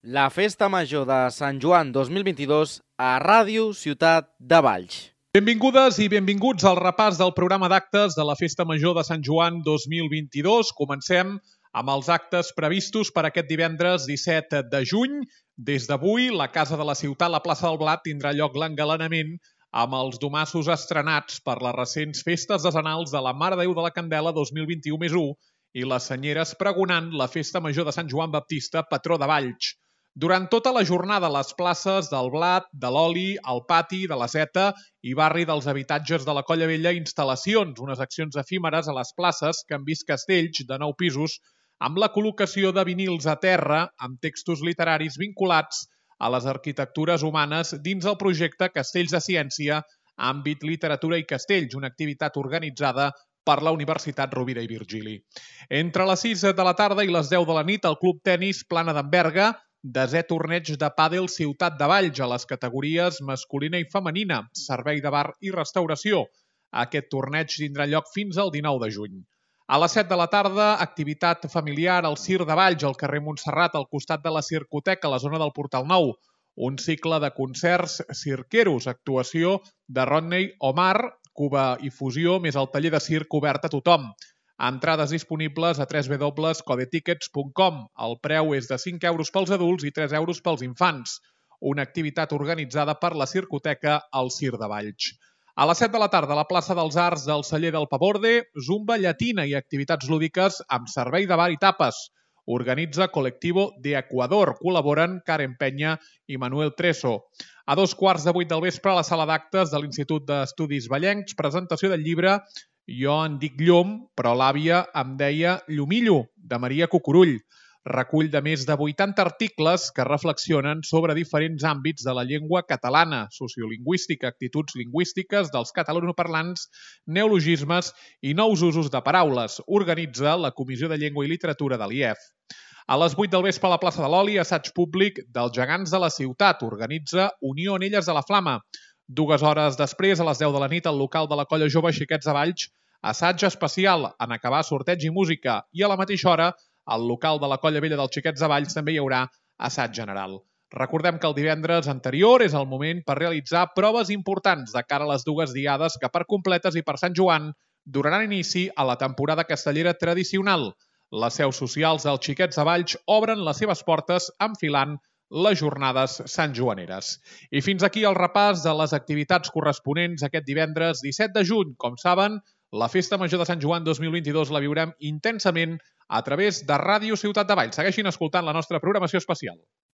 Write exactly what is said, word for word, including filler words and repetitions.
La Festa Major de Sant Joan dos mil vint-i-dos a Ràdio Ciutat de Valls. Benvingudes i benvinguts al repàs del programa d'actes de la Festa Major de Sant Joan dos mil vint-i-dos. Comencem amb els actes previstos per aquest divendres disset de juny. Des d'avui, la Casa de la Ciutat, la plaça del Blat, tindrà lloc l'engalanament amb els domassos estrenats per les recents festes decenals de la Mare de Déu de la Candela dos mil vint-i-u més u i les senyeres pregonant la Festa Major de Sant Joan Baptista, patró de Valls. Durant tota la jornada, les places del Blat, de l'Oli, el Pati, de la Zeta i barri dels habitatges de la Colla Vella, instal·lacions, unes accions efímeres a les places que han vist castells de nou pisos amb la col·locació de vinils a terra amb textos literaris vinculats a les arquitectures humanes dins el projecte Castells de Ciència, àmbit literatura i castells, una activitat organitzada per la Universitat Rovira i Virgili. Entre les sis de la tarda i les deu de la nit, el Club Tenis Plana d'en Berga, desè torneig de pàdel Ciutat de Valls a les categories masculina i femenina, servei de bar i restauració. Aquest torneig tindrà lloc fins al dinou de juny. A les set de la tarda, activitat familiar al Circ de Valls, al carrer Montserrat, al costat de la Circoteca, a la zona del Portal Nou. Un cicle de concerts cirqueros, actuació de Rodney Omar, Cuba i Fusió, més el taller de circ obert a tothom. Entrades disponibles a w w w punt codetickets punt com. El preu és de cinc euros pels adults i tres euros pels infants. Una activitat organitzada per la Circoteca al Circ de Valls. A les set de la tarda, a la plaça dels Arts del Celler del Paborde, zumba llatina i activitats lúdiques amb servei de bar i tapes. Organitza Colectivo de Ecuador. Col·laboren Karen Penya i Manuel Treso. A dos quarts de vuit del vespre, a la sala d'actes de l'Institut d'Estudis Vallencs, presentació del llibre Jo en dic Llom, però l'àvia em deia Llumillo, de Maria Cucurull. Recull de més de vuitanta articles que reflexionen sobre diferents àmbits de la llengua catalana, sociolingüística, actituds lingüístiques dels catalanoparlants, neologismes i nous usos de paraules. Organitza la Comissió de Llengua i Literatura de l'I E F. A les vuit del vespre a la plaça de l'Oli, assaig públic dels gegants de la ciutat. Organitza Unió Anelles de la Flama. Dues hores després, a les deu de la nit, al local de la Colla Jove Xiquets de Valls, assaig especial, en acabar sorteig i música. I a la mateixa hora, al local de la Colla Vella dels Xiquets de Valls també hi haurà assaig general. Recordem que el divendres anterior és el moment per realitzar proves importants de cara a les dues diades que per completes i per Sant Joan donaran inici a la temporada castellera tradicional. Les seus socials dels Xiquets de Valls obren les seves portes enfilant les jornades santjoaneres. I fins aquí el repàs de les activitats corresponents aquest divendres disset de juny. Com saben, la Festa Major de Sant Joan dos mil vint-i-dos la viurem intensament a través de Ràdio Ciutat de Valls. Segueixin escoltant la nostra programació especial.